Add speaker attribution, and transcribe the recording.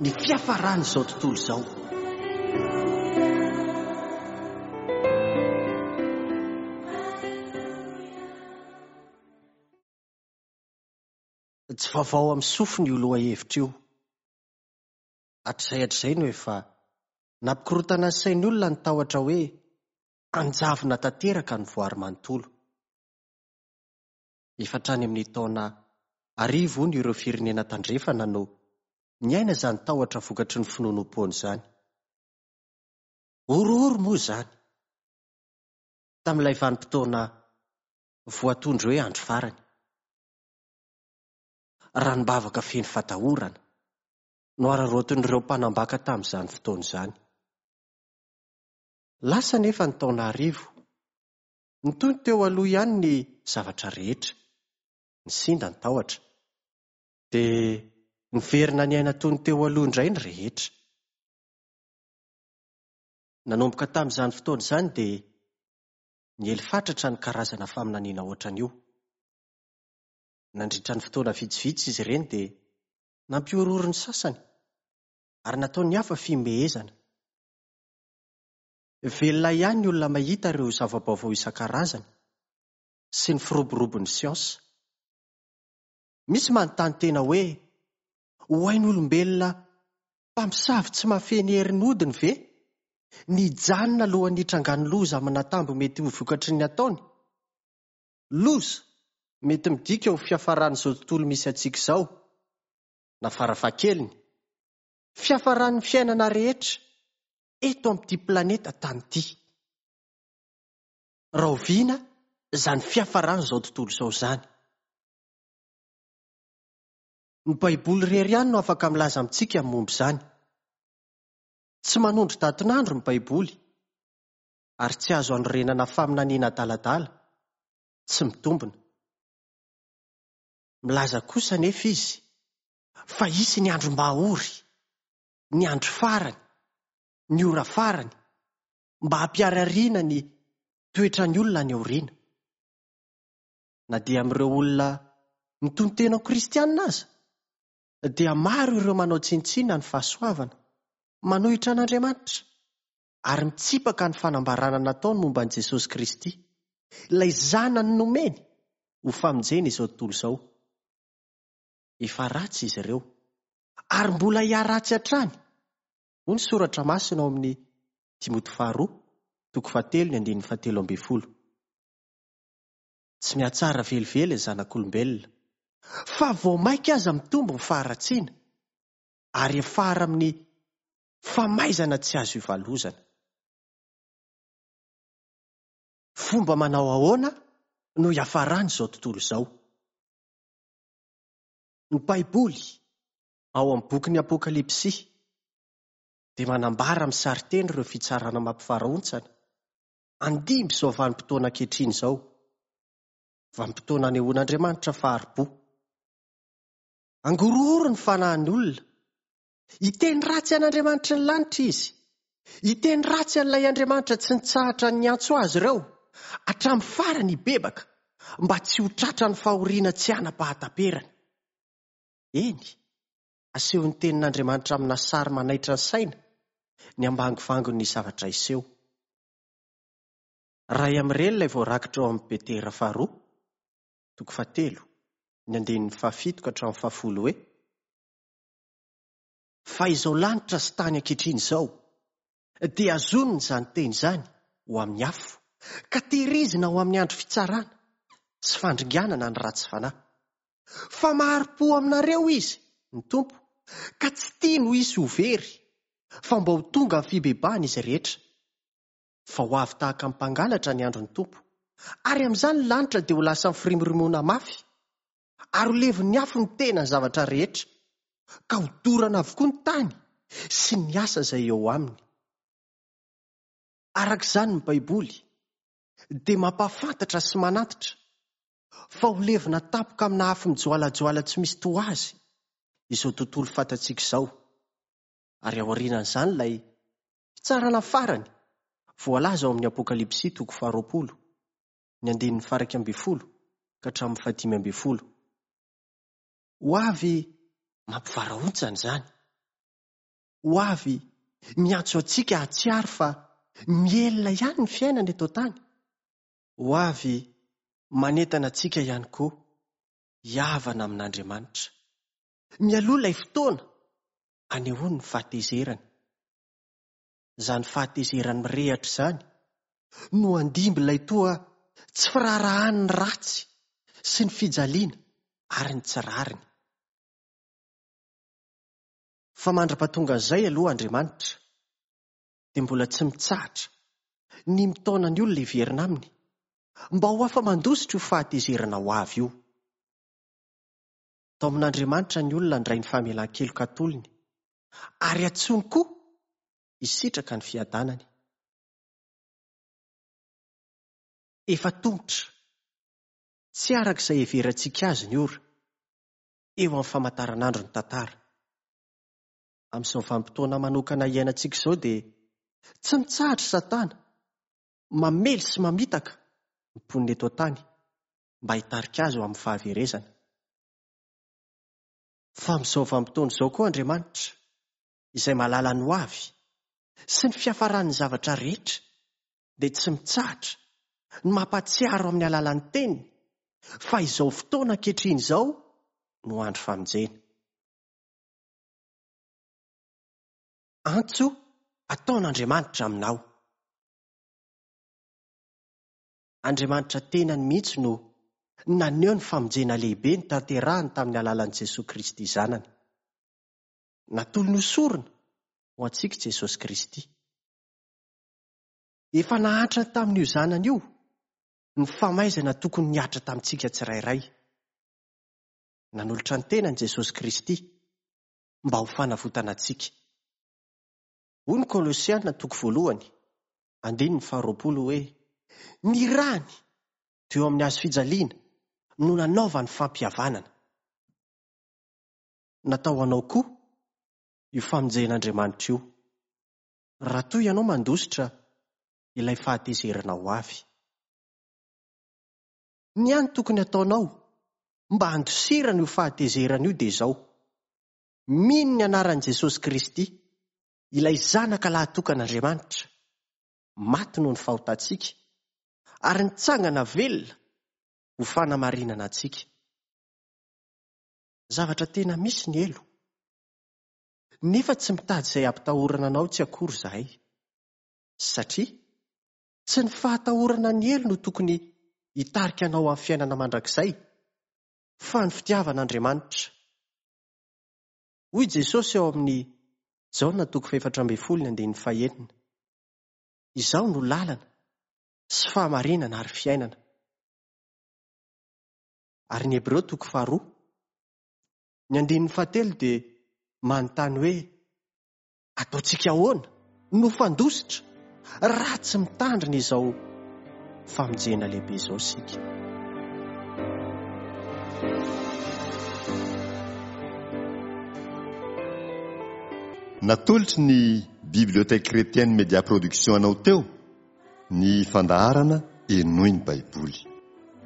Speaker 1: Ny fiafaran'izao tontolo izao. Tsy vaovao amin'ny sofiny io lohahevitra io. Hatrizay hatrizay no efa nampikorontana ny sain'ny olona ny tahotra hoe hanjavona tanteraka ny voary manontolo. Efa hatrany amin'ny taona arivony ireo firenena tandrefana no niaina izany tahotra vokatry ny finoanoam-poana izany. Horohoro moa izany tamin'ilay vanim-potoana voatondro hoe andro farany. Ranom-bavaka feno fatahorana no araraotin'ireo mpanambaka tamin'izany fotoana izany. Lasa anefa ny taona arivo. Nitohy ny teo aloha ihany ny zavatra rehetra. Nisinda ny tahotra. Dia niverina niaina toy ny teo aloha indray ny rehetra. Nanomboka tamin'izany fotoana izany dia niely fatratra ny karazana faminaniana hoatran'io. Nandritra ny fotoana vitsivitsy izy ireny dia nampihorohoro ny sasany ary nataon'ny hafa fihomehezana. Velona ihany ny olona mahita ireo zava-baovao isan-karazany sy ny firoborobon'ny siansa. Misy manontany tena hoe, Ho hain'olombelona mpamosavy tsy mahafehy ny herin'ny hodiny ve ny hijanona alohan'ny hitrangan'ny loza aman'antambo mety ho vokatry ny ataony? Loza mety midika ho fiafaran'izao tontolo misy antsika izao, na farafahakeliny, fiafaran'ny fiainana rehetra eto amin'ity planeta Tany ity. Rahoviana izany fiafaran'izao tontolo izao izany? Ny Baiboly irery ihany no afaka milaza amintsika ny momba izany. Tsy manondro datin'andro ny Baiboly, ary tsy azo anorenana faminaniana adaladala, tsy mitombina. Milaza kosa anefa izy fa hisy ny andro mahory, ny andro farany, ny ora farany, mba hampiharihariana ny toetran'ny olona any aoriana. Na dia amin'ireo olona mitonon-tena ho kristiana aza, dia maro ireo manao tsinontsinona ny fahasoavana, manohitra an'Andriamanitra, ary mitsipaka ny fanambarana nataony momba an'i Jesosy Kristy, ilay Zanany nomeny ho famonjena izao tontolo izao. Efa ratsy izy ireo, ary mbola hiharatsy hatrany, hoy ny Soratra Masina ao amin'ny Timoty Faharoa, toko fahatelo ny andininy fahatelo ambin'ny folo. Tsy mihatsara velively ny zanak'olombelona, fa vao mainka aza mitombo ny faharatsiana, ary hiafara amin'ny famaizana tsy azo ivalozana. Fomba manao ahoana no hiafaran'izao tontolo izao? Ny Baiboly, ao amin'ny bokin'ny Apokalypsy, dia manambara amin'ny sarin-teny ireo fitsarana mampivarahontsana handimby izao vanim-potoana ankehitriny izao, vanim-potoana anehoan'Andriamanitra fahari-po. Hangorohoro ny fanahin'ny olona. Hiteny ratsy an'Andriamanitry ny lanitra izy. Hiteny ratsy an'ilay Andriamanitra tsy nitsahatra niantso azy ireo hatramin'ny farany hibebaka mba tsy ho tratran'ny fahoriana tsy hanam-pahataperana. Eny, asehon'ny Tenin'Andriamanitra amina sary manaitra ny saina ny ambangovangon'ny zavatra hiseho. Iray amin'ireny ilay voarakitra ao amin'ny Petera faharoa, toko fahatelo, ny andininy fahafito ka hatramin'ny fahafolo hoe, Fa izao lanitra sy tany ankehitriny izao dia hazonina izany teny izany ho amin'ny afo, ka tehirizina ho amin'ny andro fitsarana sy fandringanana ny ratsy fanahy. Fa mahari-po aminareo Izy, ny Tompo, ka tsy tiany ho hisy ho very, fa mba ho tonga amin'ny fibebahana izy rehetra. Fa ho avy tahaka ny mpangalatra ny andron'ny Tompo, ary amin'izany ny lanitra dia ho lasa mifirimorimoana mafy, ary ho levon'ny afo ny tena ny zavatra rehetra, ka ho dorana avokoa ny tany sy ny asa izay eo aminy. Araka izany ny Baiboly dia mampahafantatra sy manantitra fa ho levona tampoka amina afo mijoalajoala tsy misy toa azy izao tontolo fantatsika izao, ary aorianan'izany ilay fitsarana farany voalaza ao amin'ny Apokalypsy toko faharoapolo, ny andininy faha-11 ka hatramin'ny faha-15. Ho avy mampivarahontsana izany. Ho avy miantso antsika hahatsiaro fa mihelina ihany ny fiainana eto an-tany. Ho avy manentana antsika ihany koa hihavana amin'Andriamanitra. Mialoha ilay fotoana anehoany ny fahatezerany. Izany fahatezerany mirehatra izany no handimby ilay toa tsy firaharahany ny ratsy sy ny fijaliana ary ny tsy rariny. Fa mandra-pahatongan'izay aloha Andriamanitra dia mbola tsy mitsahatra ny mitaona ny olona hiverina aminy mba ho afa-mandositra io fahatezerana ho avy io. Taomin'Andriamanitra ny olona handray ny famelan-keloka atolony ary antsoiny koa hisitraka ny fiadanany. Efa tomotra, tsy araka izay heverantsika azy ny ora, eo amin'ny famantaranandro ny tantara. Amin'izao vanim-potoana manokana iainantsika izao dia tsy mitsahatra i Satana mamely sy mamitaka ny mponina eto an-tany mba hitarika azy ho amin'ny fahaverezana. Fa amin'izao vanim-potoana izao koa Andriamanitra, izay mahalala ny hoavy sy ny fiafaran'ny zavatra rehetra, dia tsy mitsahatra ny mampahatsiaro amin'ny alalan'ny Teniny fa izao fotoana ankehitriny izao no andro famonjena. Antso ataon'Andriamanitra aminao. Andriamanitra tenany mihitsy no naneho ny famonjena lehibe notanterahiny tamin'ny alalan'i Jesoa Kristy Zanany. Natolony ho sorona ho antsika i Jesosy Kristy. Efa nahantrany tamin'io Zanany io ny famaizana tokony nihatra tamintsika tsirairay. Nanolotra ny tenany Jesosy Kristy mba ho fanavotana antsika. Hoy ny Kolosiana toko voalohany, andininy faharoapolo hoe, Ny rany teo amin'ny hazo fijaliana no nanaovany fampihavanana. Natao ho anao koa io famonjen'Andriamanitra io, raha toa ianao mandositra ilay fahatezerana ho avy. Ny hany tokony hataonao mba handosirana io fahatezerana io dia izao, mino ny anaran'i Jesosy Kristy, ilay Zanaka lahatokan'Andriamanitra, maty noho ny fahotantsika, ary nitsangana velona ho fanamarinana antsika. Zavatra tena misy ny helo. Nefa tsy mitady izay hampitahorana anao tsy akory izahay. Satria tsy ny fahatahorana ny helo no tokony hitarika anao amin'ny fiainana mandrakizay, fa ny fitiavan'Andriamanitra. Hoy Jesosy ao amin'ny Jaona toko fahefatra ambin'ny folo ny andininy fahenina, Izaho no lalana sy fahamarinana ary fiainana. Ary ny Hebreo toko faharoa, ny andininy fahatelo dia manontany hoe, Ataontsika ahoana no fandositra raha tsy mitandrina izao famonjena lehibe izao isika?
Speaker 2: Natolotry ny Bibliothèque Chrétienne Media Production anao teo ny fandaharana Henoy ny Baiboly.